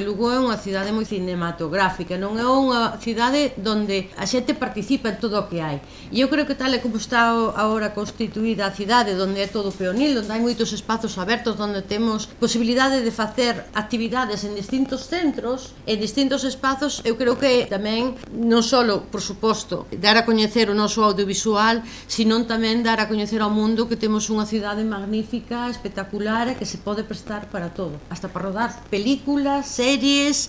Lugo é unha cidade moi cinematográfica, non é unha cidade onde a xente participa en todo o que hai. E eu creo que tal e como está agora constituída a cidade, onde é todo peonil, onde hai moitos espazos abertos, onde temos posibilidade de facer actividades en distintos centros, en distintos espazos, eu creo que tamén, non só, por suposto, dar a coñecer o noso audiovisual, sino tamén dar a coñecer ao mundo que temos unha cidade magnífica, espectacular, e que se pode prestar para todo, hasta para rodar películas, series,